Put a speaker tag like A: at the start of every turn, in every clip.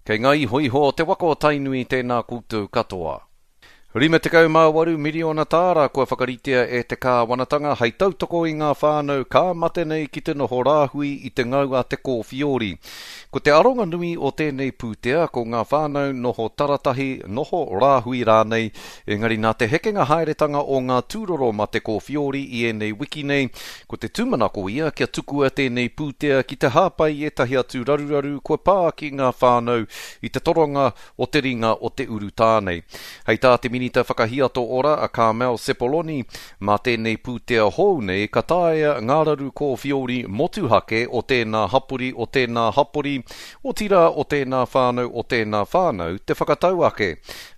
A: Kei ngā ihoiho o te waka o Tainui tēnā koutou katoa. 58 miriona tāra kua whakaritea e te kāwanatanga hei tautoko i ngā whānau ka mate nei ki te noho rāhui i te ngau a te kōwhiori. Ko te aronga nui o tēnei pūtea ko ngā whānau noho taratahi, noho rāhui rānei, engari nā te hekenga haeretanga o ngā tūroro mate kōwhiori i ēnei wiki nei, ko te tūmanako ia kia tukua tēnei pūtea ki te hāpai i ētahi atu raruraru kua pā ki ngā whānau i te toronga o te ringa o te urutā nei. Hei tā te Minita Whakahiato Ora a Carmel Sepuloni, mā tēnei pūtea hou nei ka taea ngā raru kōwhiori motuhake o tēnā hapori o tēnā hapori, otirā o tēnā whānau o tēnā whānau te whakatau ake.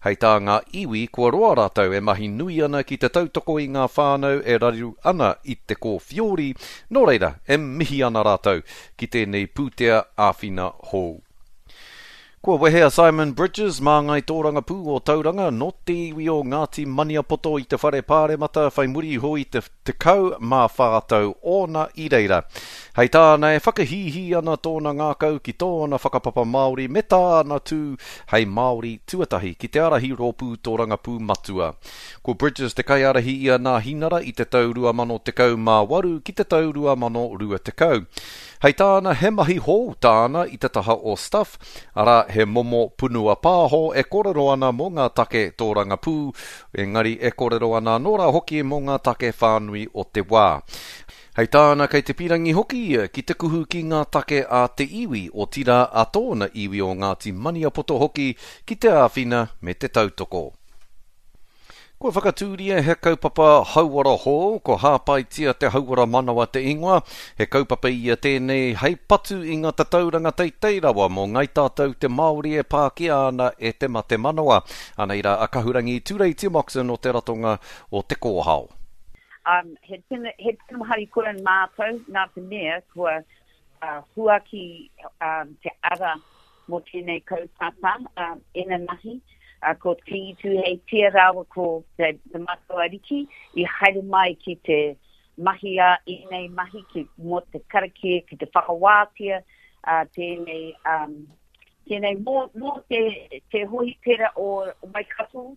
A: Hei tā ngā iwi kua roa rātou e mahi nui ana ki te tautoko i ngā whānau e raru ana i te kōwhiori, nō reira e mihi ana rātou ki tēnei pūtea āwhina hou. Kua wehe a Simon Bridges, māngai tōrangapū o Tauranga, nō te iwi o Ngāti Maniapoto i te Whare Pāremata whai muri iho i te 14 tau ōna i reira. Hei tāna e whakahīhī ana tōna ngākau ki tōna whakapapa Māori me tāna tū hei Māori tuatahi ki te ārahi rōpū tōrangapū matua. Ko Bridges te kaiārahi i a Nāhinara i te tau 2018 ki te tau 2020. Hei tāna he mahi hou tāna i te taha o Stuff, arā he momo punua pāho e kōrero ana mō ngā take tōrangapū, engari e kōrero ana anō rā hoki mō ngā take whānui o te wā. Hei tāna kei te pīrangi hoki ia ki te kuhu ki ngā take a te iwi, otirā a tōna iwi o Ngāti Maniapoto hoki ki te āwhina me te tautoko. Kua whakatūria he kaupapa hauora hou, ko Hāpaitia te Hauora Manawa te ingoa. He kaupapa ia tēnei hei patu i ngā tatauranga teitei rawa mō ngai tātou te Māori e pākia ana e te mate manawa. Anei rā a Kahurangi Tureiti Moxon o te ratonga o Te Kōhao.
B: Um, he tino, he tino harikoa mātou nā te mea kua uh, huaki um, te ara mō tēnei kaupapa uh, inanahi, uh, ko Te Tūheitia rāua ko te, te Matua Ariki i haere mai ki te mahi a ēnei mahi ki, mō te karakia, ki te whakawātea uh, tēnei, um, tēnei mō, mō te, te hohipera o Waikato.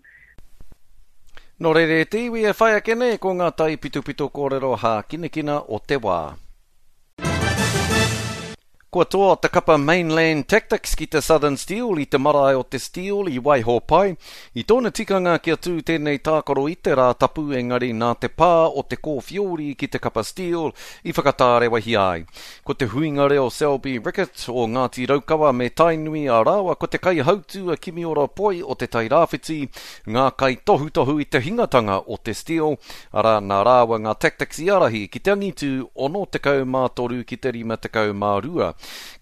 A: Nō reira e te iwi e whai ake nei ko ngā taipitopito kōrero hākinakina o te wā. Kua toa te kapa Mainland Tactics ki te Southern Steel i te marae o te Steel i Waihopai. I tōna tikanga kia tū tēnei tākaro i te Rātapu engari nā te pā o te kōwhiori ki te kapa Steel i whakatārewahia ai. Ko te huinga reo Selby Rickit o Ngāti Raukawa me Tainui a rāua ko te kaihautū a Kimiora Poi o Te Tairāwhiti ngā kaitohutohu i te hingatanga o te Steel, arā, nā rāua ngā Tactics i ārahi ki te angitū 63 ki te 52.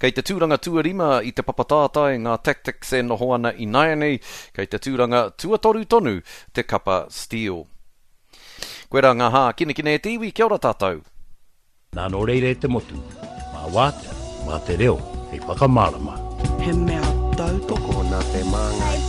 A: Kei te tūranga tuarima i te papa tātai ngā Tactics e noho ana ināianei, kei te tūranga tuatoru tonu te kapa Steel. Koirā ngā hākinakina e te iwi, kia ora tātou.
C: Nā nō reira e te motu, mā Wātea, mā te reo hei whakamārama.
D: He mea tautoko.
E: Nā te māngai.